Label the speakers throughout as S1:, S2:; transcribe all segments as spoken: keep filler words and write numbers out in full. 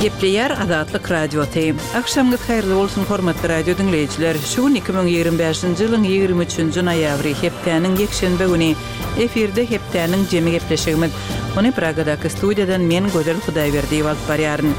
S1: Gepleýär Azatlyk Radiosy. Agşamyňyz haýyrly bolsun, hormatly radio diňleýjiler. Şu gün iki müň ýigrimi bäşinji ýylyň ýigrimi üçünji noýabry, hepdäniň ýekşenbe güni. Efirde hepdäniň jemi gepleşigimiz. Ony Pragadaky studiýadan men Gözel Hudaýberdiýewa alyp barýaryn.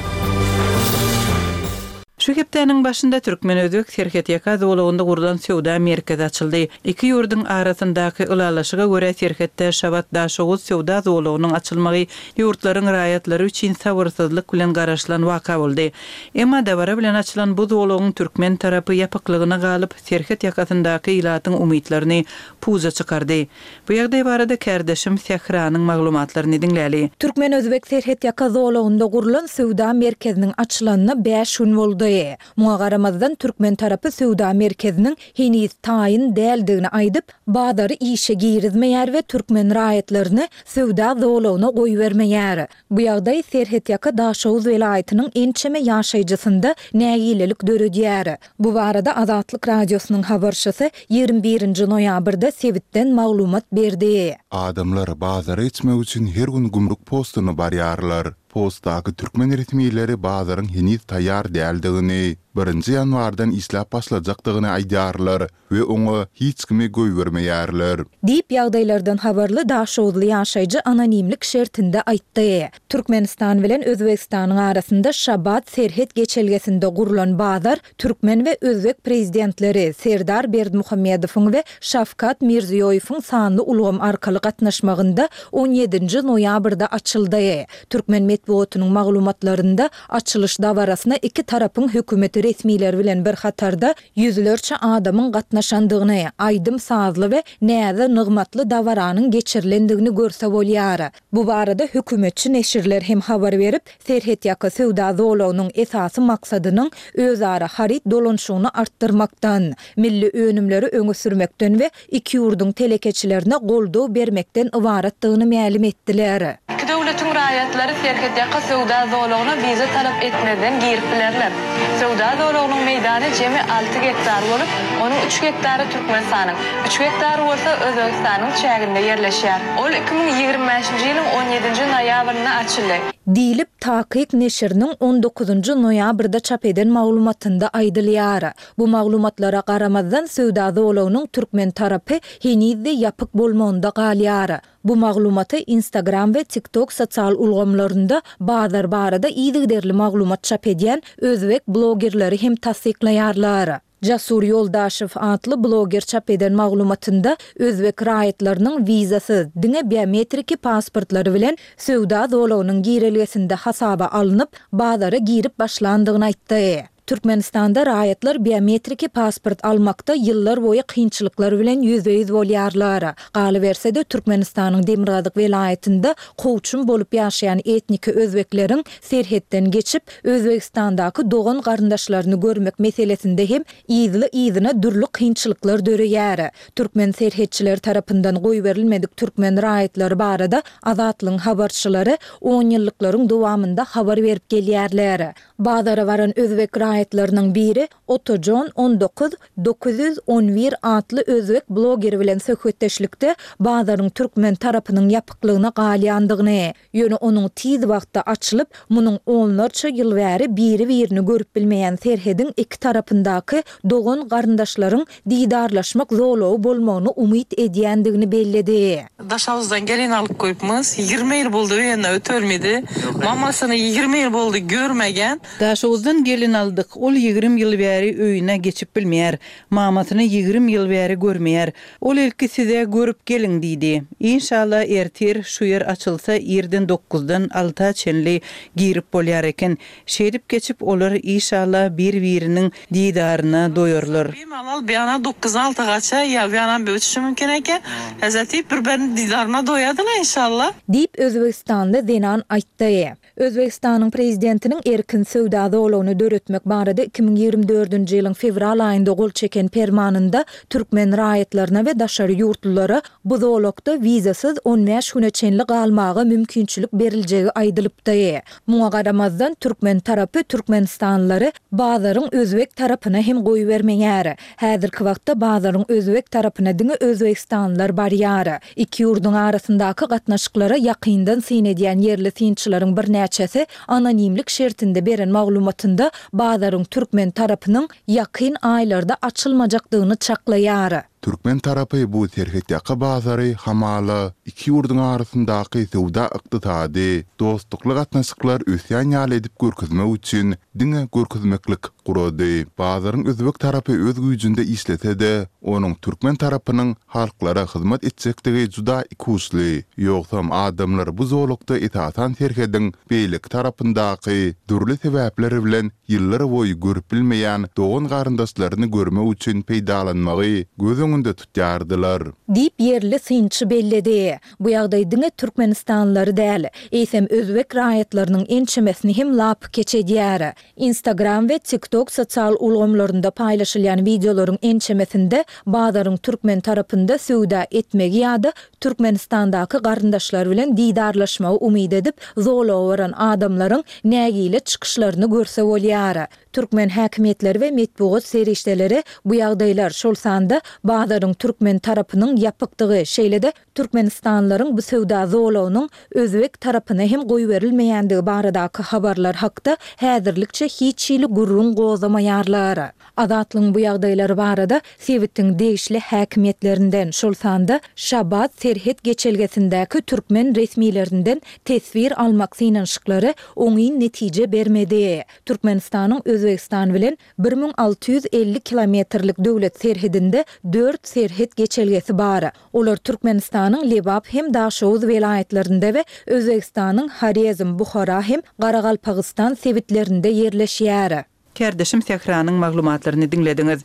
S1: Şu hepdäniň başynda türkmen-özbek serhetýaka zolagynda gurlan söwda merkezi açyldy. Iki ýurduň arasyndaky ylalaşyga görä serhetde Şabat-Daşoguz söwda zolagynyň açylmagy ýurtlaryň raýatlary üçin sabyrsyzlyk bilen garaşylan waka boldy. Emma dabara bilen açylan bu zolagyň türkmen tarapy ýapyklygyna galyp, serhet ýakasyndaky ilatyň umytlaryny puja çykardy. Bu ýagdaý barada kärdeşim Sähranyň maglumatlaryny diňläli.
S2: Türkmen-özbek serhetýaka zolagynda gurlan söwda merkeziniň açylanyna bäş gün boldy. Muňa garamazdan, türkmen tarapy söwda merkeziniň heniz taýyn däldigini aýdyp, bazary işe girizmeýär we türkmen raýatlaryny söwda zolagyna goýbermeýär. Bu ýagdaý serhetýaka Daşoguz welaýatynyň ençeme ýaşaýjysynda nägilelik döredýär. Bu barada Azatlyk Radiosynyň habarçysy ýigrimi birinji noýabrda sebitden maglumat berdi.
S3: Adamlar bazara geçmek üçin her gün gümrük postuna barýarlar. Postdaky türkmen resmileri bazaryň heniz taýýar däldigini, birinji ýanwardan işläp başlajakdygyny aýdýarlar we oňa hiç kimi goýbermeýärler.
S2: Diýip, ýagdaýlardan habarly daşoguzly ýaşaýjy anonimlik şertinde aýtdy. Türkmenistan bilen Özbegistanyň arasynda Şabat serhet geçelgesinde gurlan bazar türkmen we özbek prezidentleri Serdar Berdimuhamedowyň we Şawkat Mirziýoýewiň sanly ulgam arkaly gatnaşmagynda on ýedinji noýabrda açyldy. Türkmen metbugatynyň maglumatlarynda açylyş dabarasyna iki tarapyň hökümet resmileri bilen bir hatarda ýüzlerçe adamyň gatnaşandygyny, aýdym-sazly we näze-nygmatly dabaranyň geçirilendigini görse bolýar. Bu barada hökümetçi neşirler hem habar berip, serhetýaka söwda zolagynyň esasy maksadynyň özara haryt dolanyşygyny artdyrmakdan, milli önümleri öňe sürmekden we iki ýurduň telekeçilerine goldaw bermekden ybaratdygyny mälim etdiler.
S4: Iki döwletiň raýatlary serhetýaka söwda zolagyna wiza talap etmezden girip bilerler. Söwda zolagynyň meýdany jemi alty gektar bolup, onuň üç gektary Türkmenistanyň, üç gektary bolsa Özbegistanyň çäginde ýerleşýär. Ol iki müň ýigrimi bäşinji ýylyň on ýedinji noýabrynda açyldy.
S2: Diýlip, Takyk neşiriniň on dokuzynjy noýabrda çap eden maglumatynda aýdylýar. Bu maglumatlara garamazdan, söwda zolagynyň türkmen tarapy heniz-de ýapyk bolmagynda galýar. Bu maglumaty Instagram we TikTok sosial ulgamlarynda bazar barada yzygiderli maglumat çap edýän özbek blogerleri hem tassyklaýarlar. Jasur Ýoldaşew atly bloger çap eden maglumatynda özbek raýatlarynyň wizasyz, diňe biometriki pasportlary bilen söwda zolagynyň girelgesinde hasaba alnyp, bazara girip başlandygyny aýtdy. Türkmenistanda raýatlar biometriki pasport almakda ýyllar boýy kynçylyklar bilen ýüzbe-ýüz bolýarlar. Galyberse-de, Türkmenistanyň demirgazyk welaýatynda kowçum bolup ýaşaýan etniki özbekleriň serhetden geçip, Özbegistandaky dogan-garyndaşlaryny görmek meselesinde hem yzly-yzyna dürli kynçylyklar döreýär. Türkmen serhetçileri tarapyndan goýberilmedik türkmen raýatlary barada Azatlygyň habarçylary onýyllyklaryň dowamynda habar berip gelýärler. Bazara baran özbek raýatlarynyň biri Otajon on dokuz dokuz ýüz on bir atly özbek blogeri bilen söhbetdeşlikde bazaryň türkmen tarapynyň ýapyklygyna galýandygyny, ýöne onuň tiz wagtda açylyp, munuň onlarça ýyl bäri biri-birini görüp bilmeýän serhediň iki tarapyndaky dogan-garyndaşlaryň didarlaşmak zolagy bolmagyny umyt edýändigini belledi.
S5: Daşoguzdan gelin alyp goýupmyz. Ýigrimi ýyl boldy öýünde ötürmedi. Mamasyny ýigrimi ýyl boldy görmegen.
S1: Daşoguzdan gelin aldyk. Ol ýigrimi ýyl bäri öýüne geçip bilmeýär. Mamasyny ýigrimi ýyl bäri görmeýär. Ol ilki size görüp geliň diýdi. Inşallah ertir şu ýer açylsa irden dokuzdan alta çenli girip bolýar eken. Şeýdip geçip olar işallah bir-biriniň didaryna doýarlar.
S5: Bemalal bir ýana dokuzdan alta gaça ýa bir ýana bir uçuşy mümkin eken. Hezreti bir-biriniň didaryna doýadylar inşallah.
S2: Diýip, özbegistanly zenan aýtdy. Özbegistanyň Prezidentiniň erkin söwda söwda zolagyny döretmek barada iki müň ýigrimi dördünji ýylyň fewral aýynda gol çeken permanynda türkmen raýatlaryna we daşary ýurtlulara bu zolakda wizasyz on bäş güne çenli galmaga mümkinçilik beriljegi aýdylypdy. Muňa garamazdan, türkmen tarapy türkmenistanlylary bazaryň özbek tarapyna hem goýbermeýär. Häzirki wagtda bazaryň özbek tarapyna diňe özbegistanlylar barýar. Iki ýurduň arasyndaky gatnaşyklara ýakyndan syn edýän ýerli synçylaryň birnäçesi anonimlik şertinde beren maglumatynda bazaryň türkmen tarapynyň ýakyn aýlarda açylmajakdygyny çaklaýar.
S3: Türkmen tarapy bu serhetýaka bazary hamala iki ýurduň arasyndaky söwda-ykdysady, dostlukly gatnaşyklar ösýän ýaly edip görkezmek üçin diňe görkezmeklik gurady. Bazaryň özbek tarapy öz güýjünde işlese-de, onuň türkmen tarapynyň halklara hyzmat etjekdigi juda ikuçly. Ýogsam adamlar bu zolakda esasan serhediň beýleki tarapyndaky dürli sebäpler bilen ýyllar boýy görüp bilmeýän dogan-garyndaşlaryny görmek üçin peýdalanmagy göz öňünde tutýardylar.
S2: Diýip, ýerli synçy belledi. Bu ýagdaý diňe türkmenistanlylary däl, eýsem özbek raýatlarynyň ençemesini hem lapykeç edýär. Instagram we TikTok sosial ulgamlarynda paýlaşylýan wideolaryň ençemesinde bazaryň türkmen tarapynda söwda etmegi ýa-da Türkmenistandaky garyndaşlary bilen didarlaşmagy umyt edip, zolaga baran adamlaryň nägile çykyşlaryny görse bolýar. Türkmen häkimiýetleri we metbugat serişdeleri bu ýagdaýlar, şol sanda bazaryň türkmen tarapynyň ýapykdygy, şeýle-de türkmenistanlylaryň bu söwda zolagynyň özbek tarapyna hem goýberilmeýändigi baradaky habarlar hakda häzirlikçe hiç hili gürrüň gozgamaýarlar. Azatlygyň bu ýagdaýlar barada sebitiň degişli häkimiýetlerinden, şol sanda Şabat serhet geçelgesindäki türkmen resmilerinden teswir almak synanyşyklary oňyn netije bermedi. Türkmenistanyň Özbegistan bilen bir müň alty ýüz elli kilometrlik döwlet serhedinde dört serhet geçelgesi bar. Olar Türkmenistanyň Lebap hem Daşoguz welaýatlarynda we Özbegistanyň Horezm, Buhara hem Garagalpagystan sebitlerinde ýerleşýär.
S1: Kärdeşim Sähranyň maglumatlaryny diňlediňiz.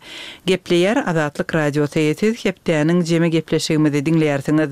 S1: Gepleýär Azatlyk Radiosy, siz hepdäniň jemi gepleşigimizi diňleýärsiňiz.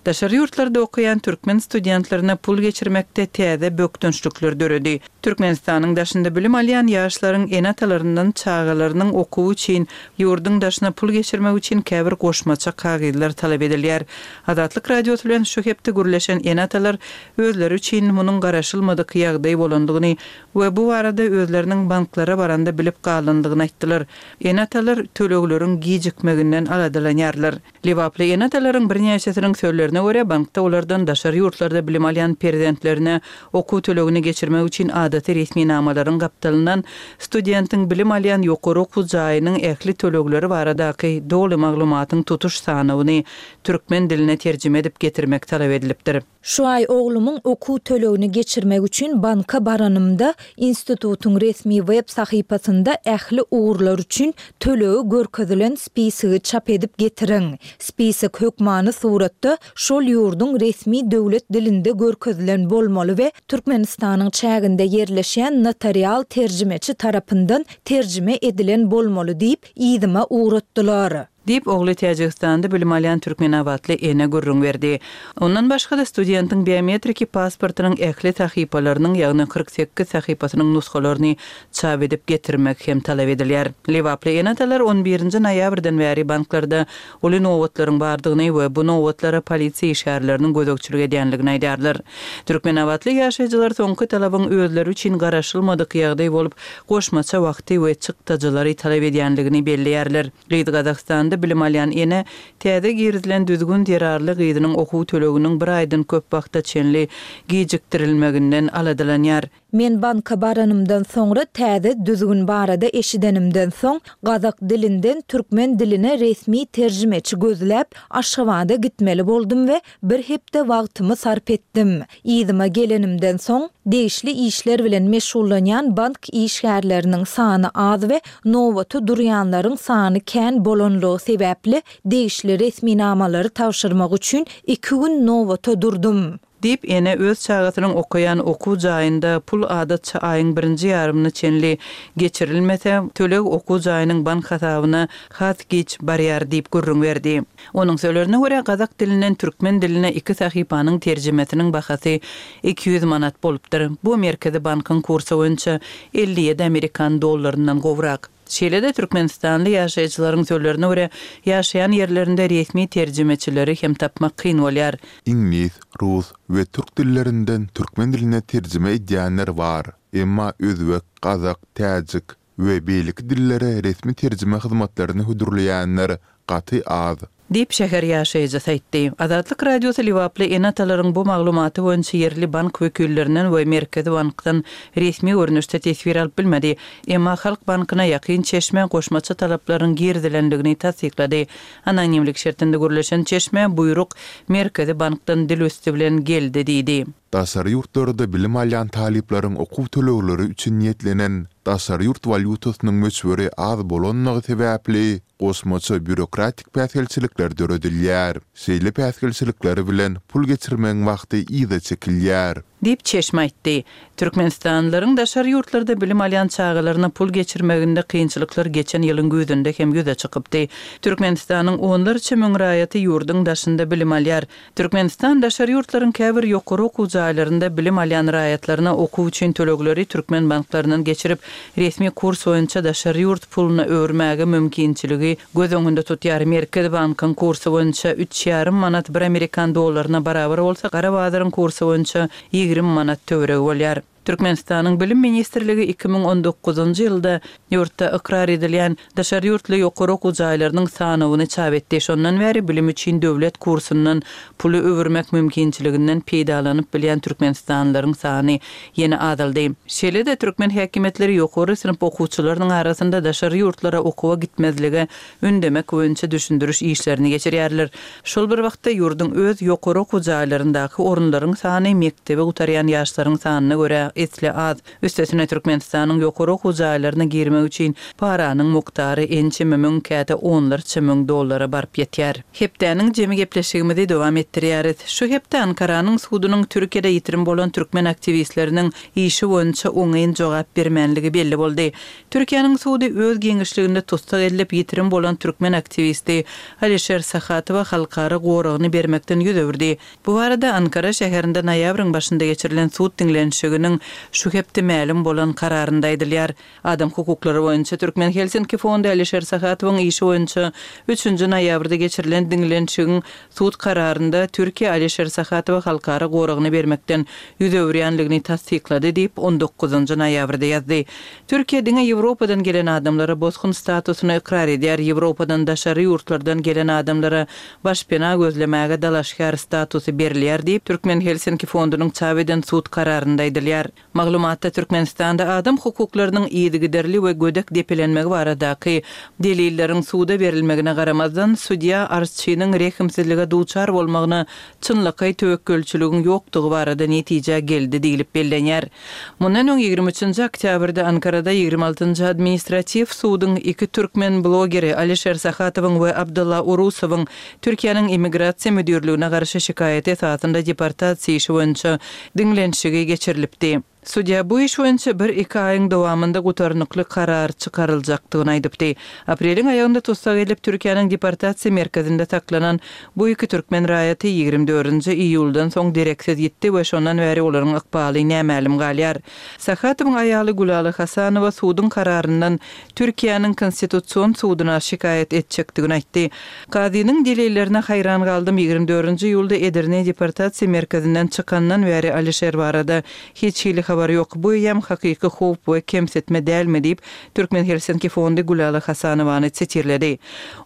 S1: Daşary ýurtlarda okaýan türkmen studentlerine pul geçirmekde täze bökdençlikler döredi. Türkmenistanyň daşynda bilim alýan ýaşlaryň ene-atalaryndan çagalarynyň okuwy üçin ýurduň daşyna pul geçirmek üçin käbir goşmaça kagyzlar talap edilýär. Azatlyk Radiosy bilen şu hepde gürleşen ene-atalar özleri üçin munuň garaşylmadyk ýagdaý bolandygyny we bu barada özleriniň banklara baranda bilip galandygyny aýtdylar. Ene-atalar tölegleriň gijikmeginden aladalanýarlar. Lebaply ene-atalaryň birnäçesiniň sözlerine görä, bankda olardan daşary ýurtlarda bilim alýan perzentlerine okuw tölegini geçirmek üçin adaty resminamalaryň gapdalyndan studentiň bilim alýan ýokary okuw jaýynyň ähli tölegleri baradaky doly maglumatyň tutuş sanawyny türkmen diline terjime edip getirmek talap edilipdir.
S2: Şu aý oglumyň okuw tölegini geçirmek üçin banka baranymda, institutyň resmi web sahypasynda ähli ugurlar üçin tölegi görkezilen spisigi çap edip getiriň. Spisek hökmany suratda şol ýurduň resmi döwlet dilinde görkezilen bolmaly we Türkmenistanyň çäginde ýerleşýän notarial terjimeçi tarapyndan terjime edilen bolmaly diýip, yzyma ugratdylar.
S1: Diýip, ogly Täjigistanda bilim alýan türkmenabatly ene gürrüň berdi. Ondan başga-da studentiň biometriki pasportynyň ähli sahypalarynyň, ýagny kyrk sekiz sahypasynyň nusgalaryny çap edip getirmek hem talap edilýär. Lebaply ene-atalar on birinji noýabrdan bäri banklarda uly nobatlaryň bardygyny we bu nobatlara polisiýa işgärleriniň gözegçilik edýändigini aýdýarlar. Türkmenabatly ýaşaýjylar soňky talabyň özleri üçin garaşylmadyk ýagdaý bolup, goşmaça wagty we çykdajylary talap edýändigini belleýärler. Gyz Gazagystanda bilim alýan ene täze girizilen düzgün zerarly gyzynyň okuw töleginiň bir aýdan köp wagta çenli gijikdirilmeginden aladalanýar.
S2: Men banka baranymdan soňra täze düzgün barada eşidenimden soň, gazak dilinden türkmen diline resmi terjimeçi gözläp, Aşgabada gitmeli boldum we bir hepde wagtymy sarp etdim. Yzyma gelenimden soň, degişli işler bilen meşgullanýan bank işgärleriniň sany az we nobata durýanlaryň sany kän bolanlygy sebäpli degişli resminamalary tabşyrmak üçin iki gün nobata durdum.
S1: Diýip, ene öz çagasynyň okaýan okuw jaýynda pul adatça aýyň birinji ýarymyna çenli geçirilmese, töleg okuw jaýynyň bank hasabyna has giç barýar diýip gürrüň berdi. Onuň sözlerine görä, gazak dilinden türkmen diline iki sahypanyň terjimesiniň bahasy iki ýüz manat bolupdyr. Bu Merkezi bankyň kursy boýunça elli ýedi amerikan dollaryndan gowrak. Şeýle-de, türkmenistanly ýaşaýjylaryň sözlerine görä, ýaşaýan ýerlerinde resmi terjimeçileri hem tapmak kyn bolýar.
S3: Iňlis, rus we türk dillerinden türkmen diline terjime edýänler bar. Emma özbek, gazak, täjik we beýleki dillere resmi terjime hyzmatlaryny hödürleýänler gaty az.
S1: Diýip, şäher ýaşaýjysy aýtdy. Azatlyk Radiosy lebaply ene-atalaryň bu maglumaty boýunça ýerli bank wekillerinden we Merkezi bankdan resmi görnüşde teswir alyp bilmedi. Emma Halk bankyna ýakyn çeşme goşmaça talaplaryň girizilendigini tassyklady. Anonimlik şertinde gürleşen çeşme buýruk Merkezi bankdan dil üsti bilen geldi diýdi.
S3: Daşary ýurtlarda bilim alýan talyplaryň okuw tölegleri üçin niýetlenen daşary ýurt walýutasynyň möçberi az bolanlygy sebäpli, goşmaça býurokratik päsgelçilikler döredilýär. Şeýle päsgelçilikler bilen pul geçirmegiň wagty yza çekilýär.
S1: Diýip, çeşme aýtdy. Türkmenistanlylaryň daşary ýurtlarda bilim alýan çagalaryna pul geçirmeginde kynçylyklar geçen ýylyň güýzünde hem ýüze çykypdy. Türkmenistanyň onlarça müň raýaty ýurduň daşynda bilim alýar. Türkmenistan daşary ýurtlaryň käbir ýokary okuw jaýlarynda bilim alýan raýatlaryna okuw üçin tölegleri türkmen banklaryndan geçirip, resmi kurs boýunça daşary ýurt puluna öwürmäge mümkinçiligi göz öňünde tutýar. Merkezi bankyň kursy boýunça üç ýarym manat bir amerikan dollaryna barabar bolsa, gara bazaryň kursy boýunça ýigrimi manat töweregi bolýar. Türkmenistanyň Bilim ministrligi iki müň on dokuzynjy ýylda ýurtda ykrar edilýän daşary ýurtly ýokary okuw jaýlarynyň sanawyny çap etdi. Şondan bäri bilim üçin döwlet kursundan puly öwürmek mümkinçiliginden peýdalanyp bilýän türkmenistanlylaryň sany ýene azaldy. Şeýle-de, türkmen häkimiýetleri ýokary synp okuwçylarynyň arasynda daşary ýurtlara okuwa gitmezlige ündemek boýunça düşündiriş işlerini geçirýärler. Şol bir wagtda, ýurduň öz ýokary okuw jaýlaryndaky orunlaryň sany mekdebi gutarýan ýaşlaryň sanyna görä esli az. Üstesine, Türkmenistanyň ýokary okuw jaýlaryna girmek üçin paranyň mukdary ençeme müň, käte onlarça müň dollara baryp ýetýär. Hepdäniň jemi gepleşigimizi dowam etdirýäris. Şu hepde Ankaranyň sudunyň Türkiýede ýitirim bolan türkmen aktiwistleriniň işi boýunça oňyn jogap bermänligi belli boldy. Türkiýäniň sudy öz giňişliginde tussag edilip ýitirim bolan türkmen aktiwisti Alişer Sahatowa halkara goragyny bermekden ýüz öwürdi. Bu barada Ankara şäherinde noýabryň başynda geçirilen sud diňlenişiginiň şu hepde mälim bolan kararynda aýdylýar. Adam hukuklary boýunça Türkmen Helsinki fondy Alişer Sahatowyň işi boýunça üçünji noýabrda geçirilen diňlenişigiň sud kararynda Türkiýe Alişer Sahatowa halkara goragyny bermekden ýüz öwürýänligini tassyklady diýip, on dokuzynjy noýabrda ýazdy. Türkiýe diňe Ýewropadan gelen adamlara bosgun statusyny ykrar edýär, Ýewropadan daşary ýurtlardan gelen adamlara başpena gözlemäge dalaşgär statusy berilýär diýip, Türkmen Helsinki fondunyň çap eden sud kararynda aýdylýar. Maglumatda Türkmenistanda adam hukuklarynyň yzygiderli we gödek depelenmegi baradaky delilleriň suda berilmegine garamazdan, sudýa arzçynyň rehimsizlige duçar bolmagyna çynlakaý töwekgelçiligiň ýokdugy barada netijä geldi diýlip bellenýär. Mundan öň ýigrimi üçünji oktýabrda Ankarada ýigrimi altynjy administratiw suduň iki türkmen blogeri Alişer Sahatowyň we Abdylla Urusowyň Türkiýäniň Immigrasiýa müdirligine garşy şikaýaty esasynda deportasiýa işi boýunça diňlenişigi geçirilipdi. Sudýa bu iş boýunça bir-iki aýyň dowamynda gutarnykly karar çykaryljakdygyny aýdypdy. Apreliň aýagynda tussag edilip, Türkiýäniň deportasiýa merkezinde saklanan bu iki türkmen raýaty ýigrimi dördünji iýuldan soň dereksiz ýitdi we şondan bäri olaryň ykbaly nämälim galýar. Sahatowyň aýaly Gülala Hasanowa suduň kararyndan Türkiýäniň Konstitusion suduna şikaýat etjekdigini aýtdy. Kazynyň delillerine haýran galdym, ýigrimi dördünji iýulda Edirne deportasiýa merkezinden çykandan bäri Alişer barada hiç hili habar ýok. Bu eýýäm hakyky howp we kemsitme dälmi diýip, Türkmen Helsinki fondy Gülala Hasanowany sitirledi.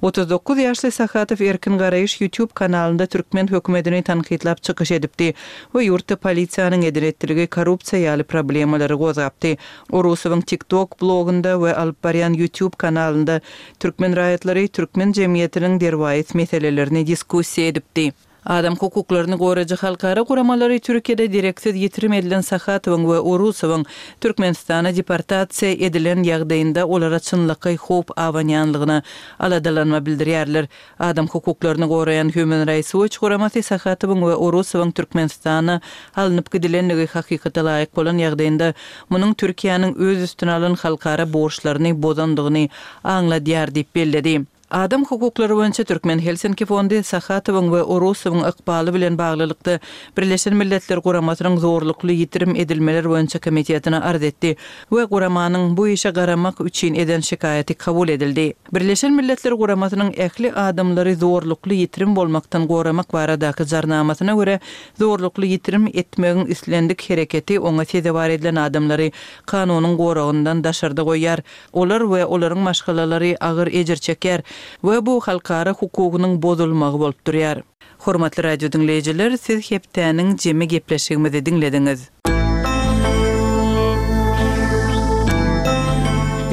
S1: Otuz dokuz ýaşly Sahatow Erkin Garaýyş YouTube kanalynda türkmen hökümetini tankytlap çykyş edipdi we ýurtda polisiýanyň eden-etdiligi, korrupsiýa ýaly problemalary gozgapdy. Orusowyň TikTok blogunda we alyp barýan YouTube kanalynda türkmen raýatlary türkmen jemgyýetiniň derwaýys meselelerini diskussiýa edipdi. Adam hukuklaryny goraýjy halkara guramalary Türkiýede dereksiz ýitirim edilen Sahatowyň we Orusowyň Türkmenistana deportasiýa edilen ýagdaýynda olara çynlakaý howp abanýanlygyna aladalanma bildirýärler. Adam hukuklaryny goraýan Human Rights Watch guramasy Sahatowyň we Orusowyň Türkmenistana alnyp gidilenligi hakykata laýyk bolan ýagdaýynda munuň Türkiýäniň öz üstüne alan halkara borçlaryny bozandygyny aňladýar diýip belledi. Adam hukuklary boýunça Türkmen Helsinki fondy Sahatowyň we Orusowyň ykbaly bilen baglylykda Birleşen Milletler Guramasynyň zorlukly ýitirim edilmeler boýunça komitetine arz etdi we guramanyň bu işe garamak üçin eden şikaýaty kabul edildi. Birleşen Milletler Guramasynyň ähli adamlary zorlukly ýitirim bolmakdan goramak baradaky jarnamasyna görä zorlukly ýitirim etmegiň islendik hereketi oňa sezewar edilen adamlary kanunyň goragyndan daşarda goýýar. Olar we olaryň maşgalalary agyr ejir çekýär we bu halkara hukugynyň bozulmagy bolup durýar. Hormatly radio diňleýjiler, siz hepdäniň jemi gepleşigimizi diňlediňiz.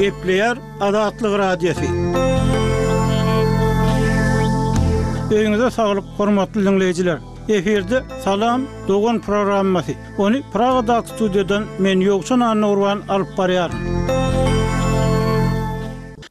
S6: Gepleýär Azatlyk Radiosy. Öýüňize saglyk, hormatly diňleýjiler. Efirde Salam dogan programmasy. Ony Pragadaky studiýadan men Ýowşan Annagurban alyp barýaryn.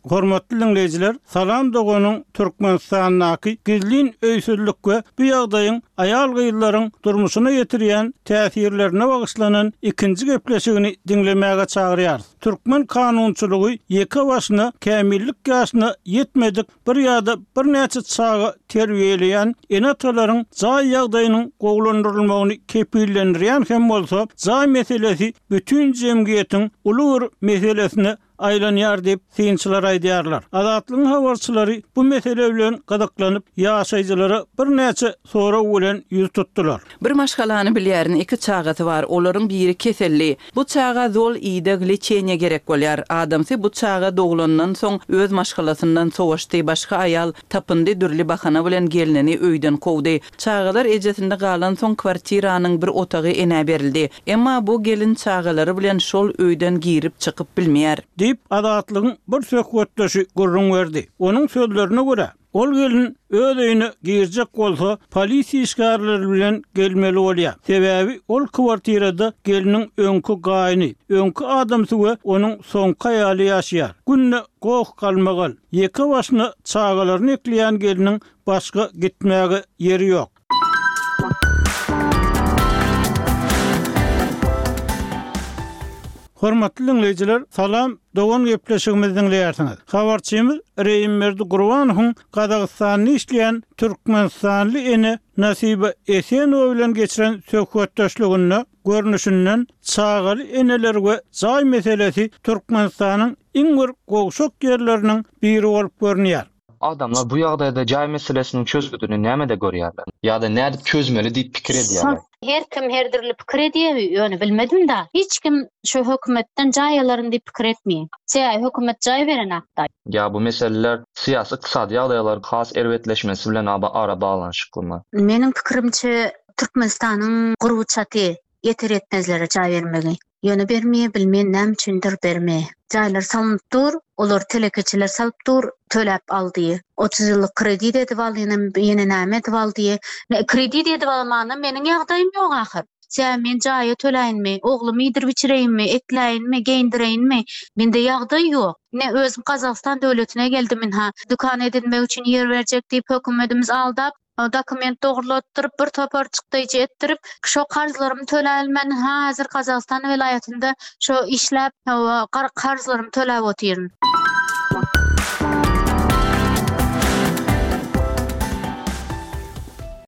S6: Hormatly diňleýjiler, Salam doganyň Türkmenistandaky gizlin öýsüzlük we bu ýagdaýyň aýal-gyzlaryň durmuşyna ýetirýän täsirlerine bagyşlanan ikinji gepleşigini diňlemäge çagyrýarys. Türkmen kanunçylygy ýeke başyna kämillik ýaşyna ýetmedik bir ýa-da birnäçe çaga terbiýeleýän ene-atalaryň jaý ýagdaýynyň gowulandyrylmagyny kepillendirýän hem bolsa, jaý meselesi bütin jemgyýetiň uly bir meselesine aýlanýar diýip, synçylar aýdýarlar. Azatlygyň habarçylary bu mesele bilen gyzyklanyp, ýaşaýjylara birnäçe sorag bilen ýüz tutdular.
S1: Bir maşgalany bilýärin, iki çagasy bar, olaryň biri keselli. Bu çaga zol ideg, leçeniýe gerek bolýar. Adamsy bu çaga doglandan soň öz maşgalasyndan sowaşdy, başga aýal tapyndy, dürli bahana bilen gelnini öýden kowdy. Çagalar ejesinde galansoň kwartiranyň bir otagy enä berildi. Emma bu gelin çagalary bilen şol öýden girip çykyp bilmeýär.
S6: Diýip, Azatlygyň bir söhbetdeşi gürrüň berdi. Onuň sözlerine görä, ol gelin öz öýüne girjek bolsa, polisiýa işgärleri bilen gelmeli bolýar. Sebäbi ol kwartirada gelniň öňki gaýyny, öňki adamsy we onuň soňky aýaly ýaşaýar. Günde goh-galmagal, ýeke başyna çagalaryny ekleýän gelniň başga gitmäge ýeri ýok. Hormatly diňleýjiler, salam, dogan gepleşigimizi diňleýärsiňiz. Habarçymyz Reýimberdi Gurbanowyň Gazagystanda işleýän türkmenistanly ene Nasiba Esenowa bilen geçiren söhbetdeşliginde görnüşinden çagaly eneler we jaý meselesi Türkmenistanyň iň bir gowşak ýerleriniň biri bolup görünýär.
S7: Adamlar bu ýagdaýda jaý meselesiniň çözgüdini nämede görýärler? Ýa-da nädip çözmeli diýip pikir edýärler?
S8: Her kim her dürli pikir edýär, ýöne bilmedim da. Hiç kim şu hökümetden jaý alaryn diýip pikir etmeýär. Sebäbi hökümet jaý beren hakda.
S7: Ýa bu meseleler syýasy ykdysady ýagdaýlaryň has erbetleşmesi bilen ara baglanyşyklymy?
S8: Meniň pikirimçe Türkmenistanyň gurby çaty ýeter ýetmezlere jaý bermegi. Ýöne bermeýär, bilmeýän näme üçindir bermeýär. Jaýlar salynyp dur, olar telekeçiler salyp dur, töläp aldy. Otuz ýyllyk kredit edip aldy, ýene, ýene näme edip aldy. Kredit edip almana meniň ýagdaýym ýok ahyr. Sebäbi men jaýa töläýinmi, oglumy iýdirip içireýinmi, ekläýinmi, geýindireýinmi? Mende ýagdaý ýok. Ne özüm Gazagystan döwletine geldim inha. Dükan edinmek üçin ýer berjek diýip hökümetimiz aldap, dokument dogrulatdyryp, bir topar çykdaýjy etdirip, şo karzlarymy töläbilmän, häzir Gazagystan welaýatynda şo işläp, karzlarymy töläp otyryn.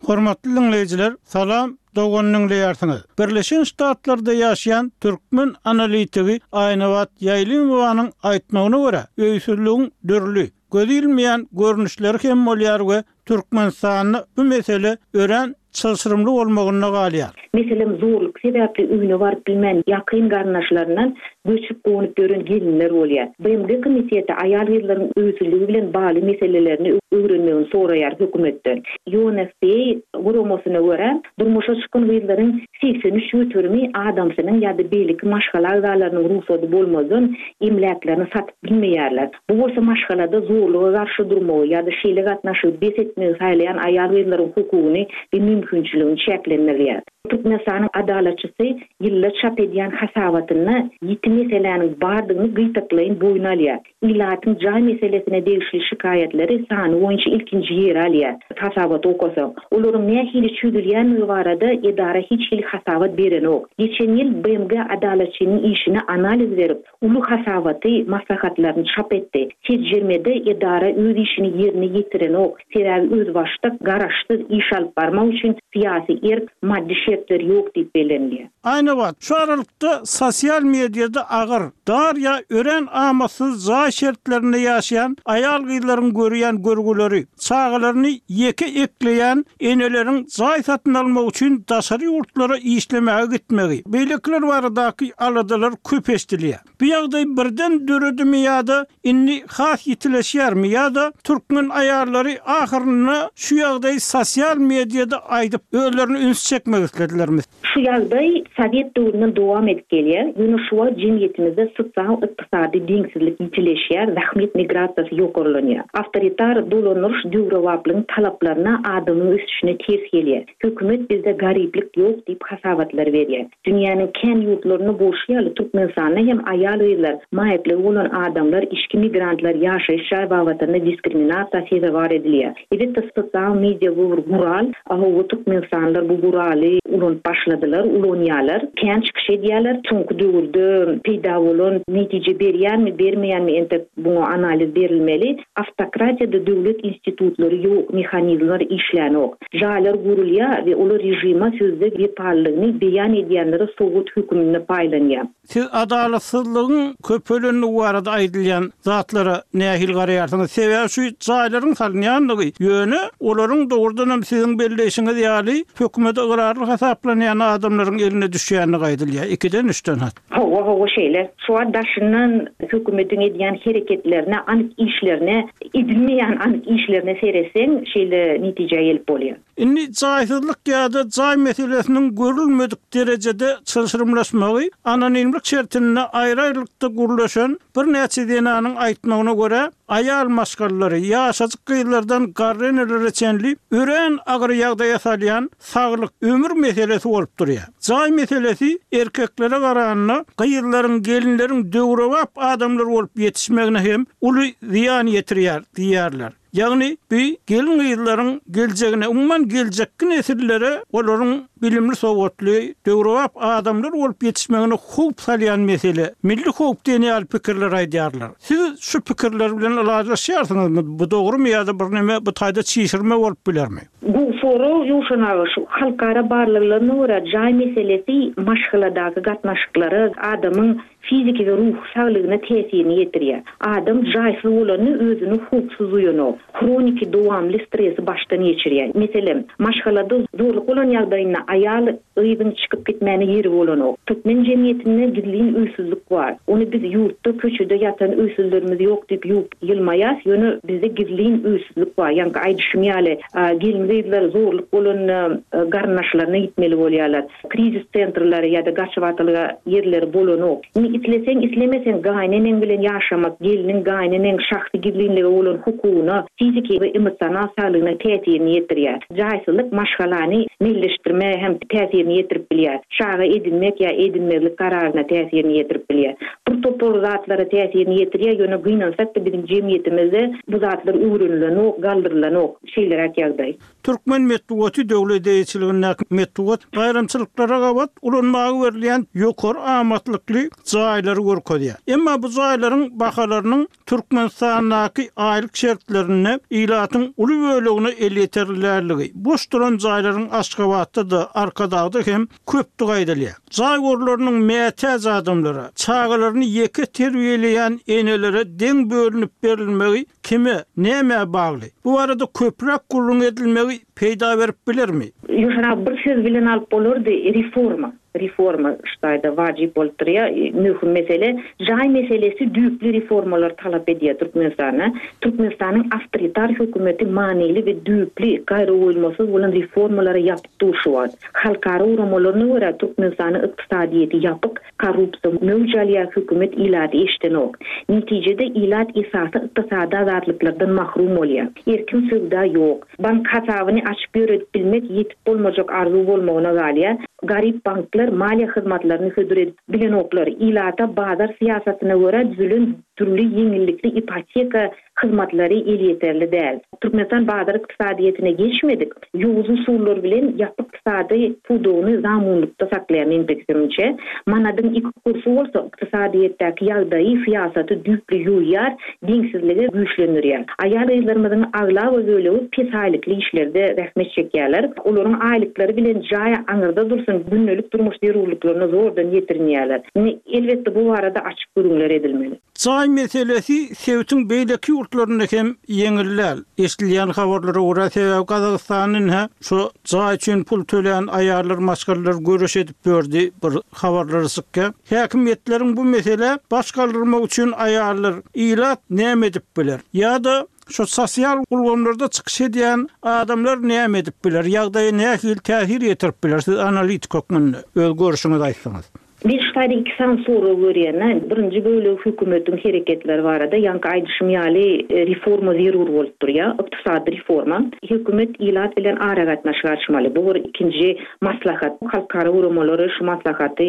S6: Hormatly diňleýjiler, salam, dogan diňleýärsiňiz. Birleşen Ştatlarda ýaşaýan türkmen analitigi Aýnabat Ýaýlymowanyň aýtmagyna görä, öýsüzligiň dürli, göz ilmeýän görnüşleri hem bolýar we Türkmenistanda bu mesele örän çylşyrymly bolmagynda galýar.
S9: Meselem, zorluk sebäpli öýüne baryp bilmän ýakyn garyndaşlaryndan göçüp-gonup ýören gelinler bolýar. B M G komiteti aýal-gyzlaryň öýsüzligi bilen bagly meselelerini öwrenmegini soraýar hökümetden. U N F P A guramasyna görä, durmuşa çykan gyzlaryň segsen üç göterimi adamsynyň ýa-da beýleki maşgala agzalarynyň rugsady bolmazdan emläklerini satyp bilmeýärler. Bu bolsa maşgalada zorluga garşy durmagy ýa-da şeýle gatnaşygy bes etmegi saýlaýan aýal-gyzlaryň hukugyny we mümkinçiligini çäklendirýär. Türkmenistanyň adalatçysy ýylda çap edýän hasabatynda ýiti meseläniň bardygyny gytaklaýyn boýun alýar. Ilatyň jaý meselesine degişli şikaýatlary sany boýunça ilkinji ýeri alýar. Hasabat okasaň, olaryň nähili çözülýändigi barada edara hiç hili hasabat berenok. Geçen ýyl B M G adalatçynyň işine analiz berip, uly hasabaty, maslahatlaryny çap etdi. Seljermede edara öz işini ýerine ýetirenok. Sebäbi özbaşdak garaşsyz iş alyp barmak üçin syýasy erk, maddy şertler ýok diýip bellenilýär.
S6: Aýnabat, şu aralykda sosial mediada agyr, dar ýa örän amatsyz jaý şertlerinde ýaşaýan aýal-gyzlaryň görýän görgüleri, çagalaryny ýeke ekleýän eneleriň jaý satyn almak üçin daşary ýurtlara işlemäge gitmegi, beýlekiler baradaky aladalar köp eşidilýär. Bu ýagdaý birden döredimi ýa-da indi has ýitileşýärmi ýa-da türkmen aýallary ahyrynda şu ýagdaý sosial mediada aýdyp özlerini üns çekmek isledilermi?
S9: Şu ýagdaý Sowet döwründen dowam edip gelýär. Ýöne şu wagt jemgyýetimizde sosial ykdysady deňsizlik ýitileşýär, zähmet migrasiýasy ýokarlanýar. Awtoritar dolandyryş döwrebaplygyň talaplaryna, adamyň ösüşine ters gelýär. Hökümet bizde garyplyk ýok diýip hasabatlar berýär. Dünýäniň kän ýurtlarynda bolşy ýaly Türkmenistanda hem aýal-gyzlar, maýyplygy bolan adamlar, içki migrantlar ýaşaýyş jaý babatynda diskriminasiýa sezewar edilýär. Elbetde sosial media bu bir gural. Ahu Türkmenistanlylar bu guraly ulanyp başladylar, ulanýarlar. Kän çykyş edýärler. Soňky döwürde peýda bolan netije berýärmi, bermeýärmi entek buňa analiz berilmeli. Awtokratiýada döwlet institutlary ýok, mehanizmler işlänok. Jaýlar gurulýar we olar režime sözde wepalylygyny beýan edýänlere sowgat höküminde paýlanýar.
S6: Siz adalatsyzlygyň köpelenligi barada aýdylýan zatlara nähili garaýarsyňyz? Sebäbi şu jaýlaryň salynýanlygy, ýöne olaryň dogrudan hem siziň belleýşiňiz ýaly hökümete ygrarly hasaplanýan adamlaryň eline düşýänligi aýdylýar. Ikiden üçden hat.
S9: Hawa, hawa şeýle. Şu an daşyndan hökümetiň edýän hereketlerine, anyk işlerine, edilmeýän anyk işlerine seretseň, şeýle netijä gelip bolýar.
S6: Indi jaýsyzlyk ýa-da jaý meselesiniň görülmedik derejede çylşyrymlaşmagy anonimlik şertinde aýry-aýrylykda gurlaşan birnäçe zenanyň aýtmagyna görä, aýal maşgalalary, ýaşajyk gyzlardan garry enelere çenli örän agyr ýagdaýa salýan saglyk, ömür meselesi bolup durýar. Jaý meselesi erkeklere garanda gyzlaryň, gelinleriň döwrebap adamlar bolup ýetişmegine hem uly zyýan ýetirýär diýýärler. Ýagny bu gelin gyzlaryň geljegine, umuman geljekki nesillere olaryň bilimli sowatly, döwrebap adamlar bolup ýetişmegine howp salýan mesele, milli howp diýen ýaly pikirler aýdýarlar. Siz şu pikirler bilen ylalaşýarsyňyzmy? Bu dogrumy ýa-da bir näme bu taýda çişirme bolup bilermi?
S9: Bu soru Ýowşan aga, şu halkara barlaglaryna görä jaý meselesi maşgaladaky gatnaşyklara, adamyň fiziki we ruhy saglygyna täsirini ýetirýär. Adam jaýsyz bolany özüni howpsuz duýanok. Hroniki dowamly stresi başdan geçirýär. Meselem, maşgalada zorluk bolan ýagdaýynda aýal gyzyň çykyp gitmäne ýeri bolanok. Türkmen jemgyýetinde gizlin öýsüzlük bar. Ony biz ýurtda köçede ýatan öýsüzlerimiz ýok diýip ýuwup ýylmaýas, ýöne bizde gizlin öýsüzlük bar. Ýaňky aýdyşym ýaly, gelin gyzlar zorluk bolan garyndaşlaryna gitmeli bolýarlar. Krizis sentrlary ýa-da gaçybatalga ýerleri bolanok. Indi isleseň, islemeseň gaýyneneň bilen ýaşamak, geliniň gaýyneneň şahsy gizlinligi bolan hukugyna, fiziki we emosional saglygyna täsirini ýetirýär. Jaýsyzlyk maşgalany milleşdirme hem täsirini ýetirip bilýär. Çaga edinmek ýa edinmezlik kararyna täsirini ýetirip bilýär. Bir topar zatlara täsirini ýetirýär, ýöne gynansak da biziň jemgyýetimizde bu zatlar öwrenilenok, galdyrylanok. Şeýleräk ýagdaý.
S6: Türkmen metbugaty döwlet eýeçiligindäki metbugat baýramçylyklara gabat ulanmaga berilýän ýokary amatlykly jaýlary görkezýär. Emma bu jaýlaryň bahalarynyň Türkmenistandaky aýlyk şertlerinde ilatyň uly bölegine elýeterliligi, boş duran jaýlaryň Aşgabatda da, Arkadagda hem köpdügi aýdylýar. Jaý gorlarynyň mätäç adamlara, çagalaryny ýeke terbiýeleýän enelere deň bölünip berilmegi kime, nämä bagly? Bu barada köpräk gürrüň edilmegi çözülmegi peýda berip bilermi?
S9: Ýöne bir söz bilen alyp bolardy, reforma. Reforma şu taýda wajyp bolup durýar. Möhüm mesele, jaý meselesi düýpli reformalar talap edýär Türkmenistanda. Türkmenistanyň awtoritar hökümeti manyly we düýpli gaýragoýulmasyz bolan reformalara ýapyk dur şu wagt. Halkara guramalaryna görä Türkmenistanyň ykdysadyýeti ýapyk, korrupsiýa möwç alýar, hökümet ilaty eşdenok. Netijede ilat esasy ykdysady azatlyklardan mahrum bolýar. Erkin söwda ýok. Bank hasabyny açyp ýöredip bilmek ýetip bolmajak arzuw bolmagyna galýar. Garyp banklar maliýe hyzmatlaryny hödür edip bilenoklar. Ilata bazar syýasatyna görä düzülen dürli ýeňillikli ipoteka hyzmatlary elýeterli däl. Türkmenistan bazar ykdysadyýetine geçmedik, ýowuz usullar bilen ýapyk ykdysady pudagyny zamunlykda saklaýar meň pikirimçe. Manadyň iki kursy bolsa ykdysadyýetdäki ýagdaýy, syýasaty düýpli ýuwýar, deňsizligi güýçlendirýär. Aýal-gyzlarymyzyň aglaba bölegi pes aýlykly işlerde zähmet çekýärler. Olaryň aýlyklary bilen jaý aňyrda dursun, gündelik durmuş zerurlyklaryna zordan ýetirinýärler. Indi elbetde bu barada açyk gürrüňler edilmeli.
S6: Jaý meselesi sebitiň beýleki ýurtlarynda hem ýeňil däl. Eşidilýän habarlara görä, sebäbi Gazagystanda ine şu jaý üçin pul töleýän aýallar maşgalalar göreş edip berdi bir habarlary çykýar. Häkimiýetleriň bu mesele baş galdyrmak üçin aýallar ilat näme edip biler? Ýa-da şu sosial ulgamlarda çykyş edýän adamlar näme edip biler? Ýagdaýa nähili täsir ýetirip biler? Siz analitik hökmünde öz görüşüňizi aýtsaňyz.
S9: Men şu taýda iki sany sorag görýän. Birinji bölegi hökümetiň hereketleri barada, ýaňky aýdyşym ýaly reforma zerur bolup durýar, ykdysady reforma. Hökümet ilat bilen aragatnaşyk açmaly. Bu bir ikinji maslahat. Halkara guramalary şu maslahaty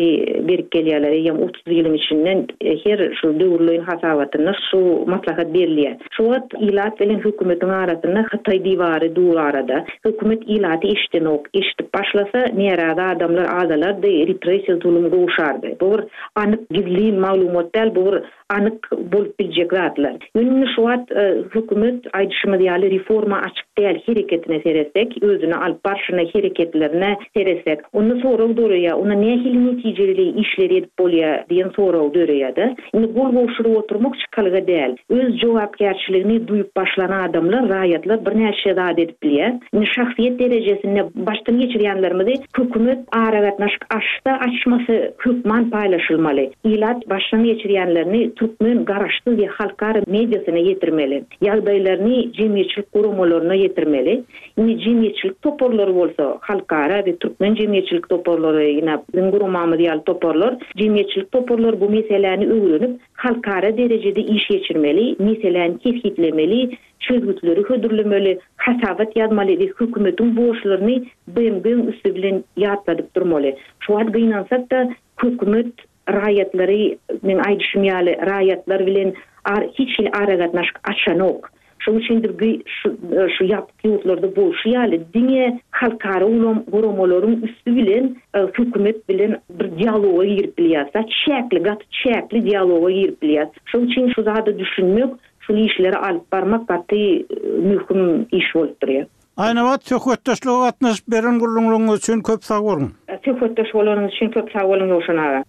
S9: berip gelýärler. Eýýäm otuz ýylyň içinden her şu döwürleýin hasabatynda şu maslahat berilýär. Şu wagt ilat bilen hökümetiň arasynda Hytaý diwary dur arada. Hökümet ilaty eşdenok, eşidip başlasa närazy adamlar azalardy, repressiýa zulum gowşardy. Bu bir anyk gizlin maglumat däl, bu bir anyk bolup biljek zatlar. Ýöne şu wagt hökümet aýdyşymyz ýaly reforma açyk däl hereketine seretsek, özüni alyp barşyna hereketlerine seretsek, onda sorag döreýär, onda nähili netijeli işleri edip bolýar diýen sorag döreýär-de. Indi gol gowşuryp oturmak çykalga däl. Öz jogapkärçiligini duýup başlan adamlar, raýatlar birnäçe zat edip bilýär. Indi şahsyýet derejesinde başdan geçirýänlerimizi hökümet aragatnaşyk açsa, açmasy hökman paýlaşylmaly. Ilat başdan geçirýänlerini türkmen garaşsyz we halkara mediasyna ýetirmeli. Ýagdaýlaryny jemgyýetçilik guramalaryna ýetirmeli. Indi jemgyýetçilik toparlary bolsa, halkara we türkmen jemgyýetçilik toparlary, ýene biziň guramamyz ýaly toparlar, jemgyýetçilik toparlary bu meseläni öwrenip, halkara derejede iş geçirmeli, meseläni kesgitlemeli, çözgütleri hödürlemeli, hasabat ýazmaly we hökümetiň borçlaryny B M G-niň üsti bilen ýatladyp durmaly. Şu wagt gynansak da hökümet raýatlary, men aýdyşym ýaly, raýatlar bilen ar-, hiç hili aragatnaşyk açanok. Şonuň üçin bir gü-, şu, şu ýapyk ýurtlarda bolşy ýaly diňe halkara ulam guramalaryň üsti bilen, e, hökümet bilen bir dialoga girip bilýär. Çäkli, gaty çäkli dialoga girip bilýär. Şonuň üçin şu zada düşünmek, şu işleri alyp barmak gaty, e, möhüm iş bolup durýar.
S6: Aýnabat söhbetdeşlige gatnaşyp beren gurrumlaryňyz üçin köp sag boluň.
S9: Söhbetdeş bolanyňyz üçin köp sag boluň Ýowşan aga.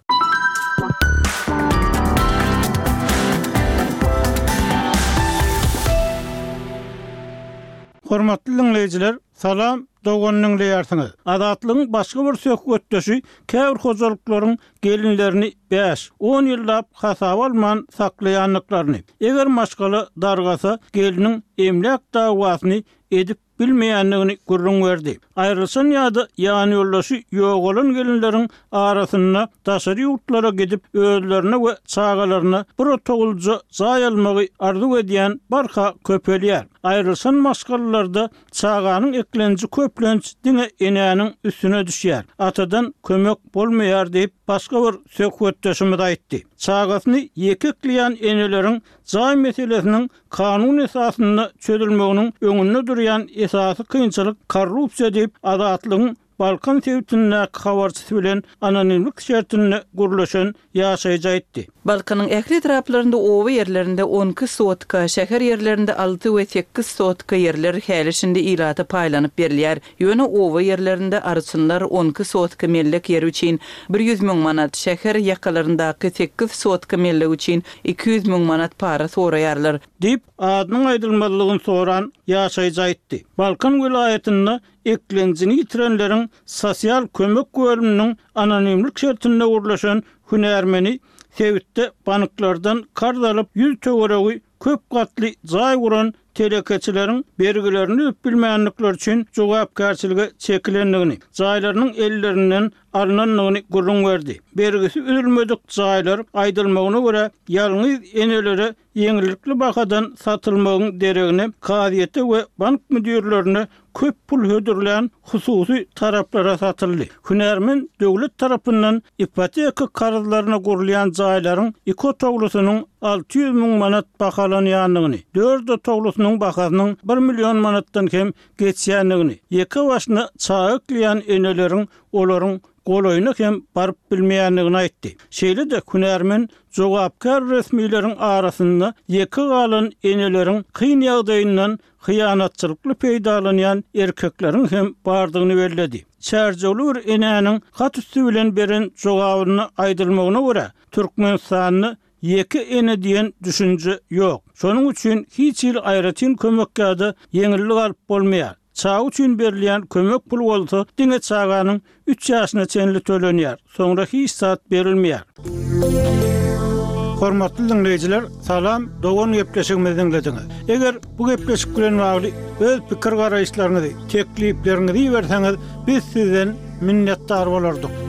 S6: Hormatly dinleýjiler, salam, dogan dinleýärsiňiz. Azatlygyň başga bir söhbetdeşi käbir hojalyklaryň gelinlerini bäş, on ýyllap hasaba alman saklaýandyklaryny, eger maşgala dargasa geliniň emläk dawasyny edip bilmeýändigini gürrüň berdi. Aýrylşan ýa-da ýan ýoldaşy ýogalan gelinleriň arasynda daşary ýurtlara gidip özlerine we çagalaryna bir otaglyja jaý almagy arzuw edýän barha köpelýär. Aýrylşan maşgalalarda çaganyň eklenji köplenç diňe enäniň üstüne düşýär. Atadan kömek bolmaýar diýip başga bir söhbetdeşimiz aýtdy. Çagasyny ýeke ekleýän eneleriň jaý meselesiniň kanun esasynda çözülmeginiň öňünde durýan esasy kynçylyk korrupsiýa diýip Azatlygyň Balkan sebitindäki habarçysy bilen anonimlik şertinde gürleşen ýaşaýjy aýtdy.
S1: Balkanyň ähli etraplarynda oba ýerlerinde on iki sotka, şäher ýerlerinde alty we sekiz sotka ýerler häli-şindi ilata paýlanyp berilýär. Ýöne oba ýerlerinde arçynlar on iki sotka mellek ýeri üçin bir ýüz müň manat, şäher ýakalaryndaky sekiz sotka mellek üçin iki ýüz müň manat para soraýarlar.
S6: Diýip, adynyň aýdylmazlygyny soran ýaşaýjy aýtdy. Balkan welaýatynda eklenjini ýitirenleriň sosial kömek bölüminiň anonimlik şertinde gürleşen hünärmeni sebitde banklardan karz alyp ýüz töweregi köp gatly jaý guran telekeçileriň bergilerini üzüp bilmänlikleri üçin jogapkärçilige çekilendigini, jaýlarynyň ellerinden alynandygyny gürrüň berdi. Bergisi üzülmedik jaýlar aýdylmagyna görä ýalňyz enelere ýeňillikli bahadan satylmagyň deregine kazyýete we bank müdirlerine köp pul hödürlän hususy taraplara satyldy. Hünärmen döwlet tarapyndan ipoteka karzlaryna gurulýan jaýlaryň iki otaglysynyň alty ýüz müň manat bahalanýandygyny, dört otaglysynyň bahasynyň bir million manatdan hem geçýändigini, ýeke başyna çaga ekleýän eneleriň olaryň golaýyna hem baryp bilmeýändigini aýtdy. Şeýle-de hünärmen jogapkär resmileriň arasynda ýeke galan eneleriň kyn ýagdaýyndan hyýanatçylykly peýdalanýan erkekleriň hem bardygyny belledi. Çärjewli bir enäniň hat üstü bilen beren jogabyny aýdylmagyna görä, Türkmenistanda ýeke ene diýen düşünje ýok. Şonuň üçin hiç hili aýratyn kömek ýa-da ýeňillik alyp bolmaýar. Çaga üçin berilýän kömek pul bolsa diňe çaganyň üç ýaşyna çenli tölenýär. Soňra hiç zat berilmeýär. Hormatly dinleýjiler, salam, dogan gepleşigimizi dinlediňiz. Eger bu gepleşik bilen bagly öz pikir garaýyşlaryňyzy, teklipleriňizi berseňiz, biz sizden minnetdar bolardyk.